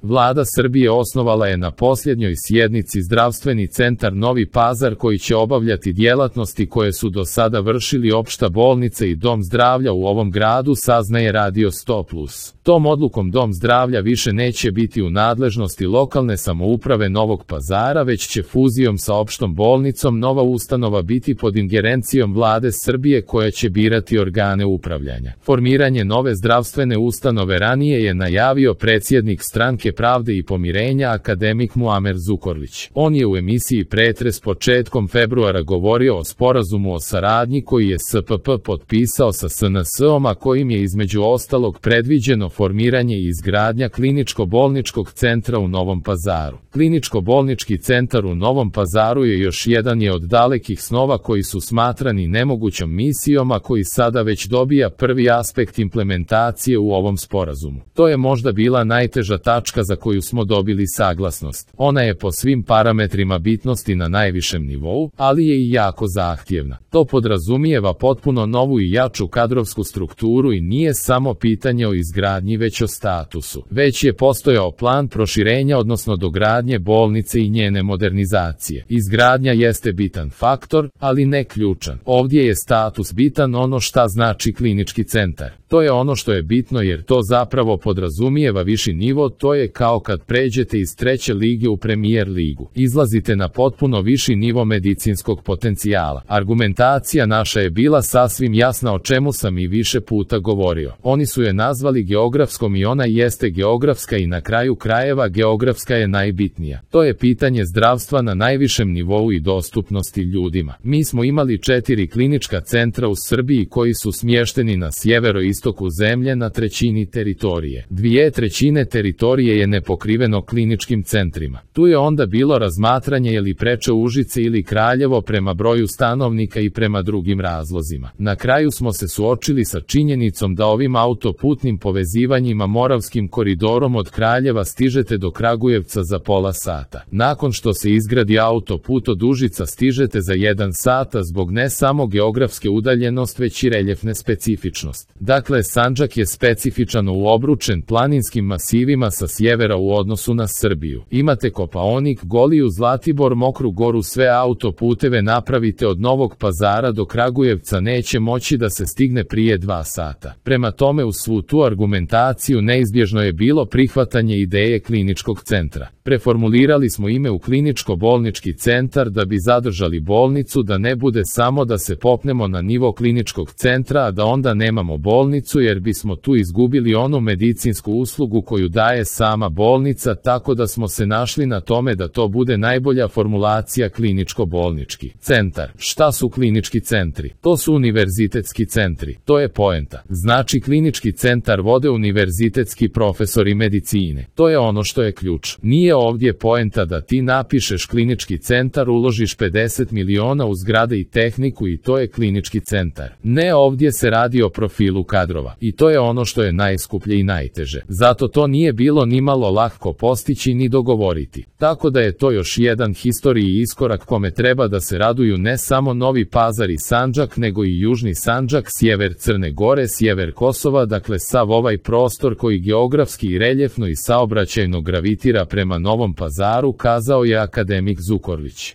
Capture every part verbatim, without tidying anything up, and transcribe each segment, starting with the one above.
Vlada Srbije osnovala je na posljednjoj sjednici zdravstveni centar Novi Pazar koji će obavljati djelatnosti koje su do sada vršili opšta bolnica i dom zdravlja u ovom gradu, saznaje Radio sto plus. Tom odlukom dom zdravlja više neće biti u nadležnosti lokalne samouprave Novog Pazara, već će fuzijom sa opštom bolnicom nova ustanova biti pod ingerencijom Vlade Srbije koja će birati organe upravljanja. Formiranje nove zdravstvene ustanove ranije je najavio predsjednik Stranke pravde i pomirenja akademik Muamer Zukorlić. On je u emisiji Pretres početkom februara govorio o sporazumu o saradnji koji je S P P potpisao sa S N S-om, a kojim je između ostalog predviđeno formiranje i izgradnja kliničko-bolničkog centra u Novom Pazaru. Kliničko-bolnički centar u Novom Pazaru je još jedan je od dalekih snova koji su smatrani nemogućom misijom, a koji sada već dobija prvi aspekt implementacije u ovom sporazumu. To je možda bila najteža tačka za koju smo dobili saglasnost. Ona je po svim parametrima bitnosti na najvišem nivou, ali je i jako zahtjevna. To podrazumijeva potpuno novu i jaču kadrovsku strukturu i nije samo pitanje o izgradnji već o statusu. Već je postojao plan proširenja odnosno dogradnje bolnice i njene modernizacije. Izgradnja jeste bitan faktor, ali ne ključan. Ovdje je status bitan, ono šta znači klinički centar. To je ono što je bitno jer to zapravo podrazumijeva viši nivo, to je kao kad pređete iz treće lige u Premier ligu. Izlazite na potpuno viši nivo medicinskog potencijala. Argumentacija naša je bila sasvim jasna, o čemu sam i više puta govorio. Oni su je nazvali geografskom i ona jeste geografska i na kraju krajeva geografska je najbitnija. To je pitanje zdravstva na najvišem nivou i dostupnosti ljudima. Mi smo imali četiri klinička centra u Srbiji koji su smješteni na sjeveroistoku zemlje na trećini teritorije. Dvije trećine teritorije je nepokriveno kliničkim centrima. Tu je onda bilo razmatranje je li preče Užice ili Kraljevo prema broju stanovnika i prema drugim razlozima. Na kraju smo se suočili sa činjenicom da ovim autoputnim povezivanjima Moravskim koridorom od Kraljeva stižete do Kragujevca za pola sata. Nakon što se izgradi autoput od Užica stižete za jedan sata zbog ne samo geografske udaljenost već i reljefne specifičnost. Dakle, Sandžak je specifičan u obručen planinskim masivima sa sjevera u odnosu na Srbiju. Imate Kopaonik, Goliju, Zlatibor, Mokru Goru, sve autoputeve napravite od Novog Pazara do Kragujevca neće moći da se stigne prije dva sata. Prema tome uz svu tu argumentaciju neizbježno je bilo prihvatanje ideje kliničkog centra. Preformulirali smo ime u kliničko-bolnički centar da bi zadržali bolnicu, da ne bude samo da se popnemo na nivo kliničkog centra, a da onda nemamo bolnicu jer bismo tu izgubili onu medicinsku uslugu koju daje sama bolnica, tako da smo se našli na tome da to bude najbolja formulacija kliničko-bolnički centar. Šta su klinički centri? To su univerzitetski centri. To je poenta. Znači klinički centar vode univerzitetski profesori medicine. To je ono što je ključ. Nije ovdje poenta da ti napišeš klinički centar, uložiš pedeset miliona u zgrade i tehniku i to je klinički centar. Ne, ovdje se radi o profilu kadrova. I to je ono što je najskuplje i najteže. Zato to nije bilo ni malo lako postići ni dogovoriti. Tako da je to još jedan historiji iskorak kome treba da se raduju ne samo Novi Pazar i Sandžak, nego i Južni Sandžak, sjever Crne Gore, sjever Kosova, dakle sav ovaj prostor koji geografski i reljefno i saobraćajno gravitira prema Novom Pazaru, kazao je akademik Zukorlić.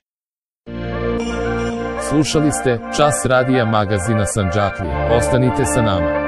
Slušali ste Čas radija magazina Sandžaklija. Ostanite sa nama.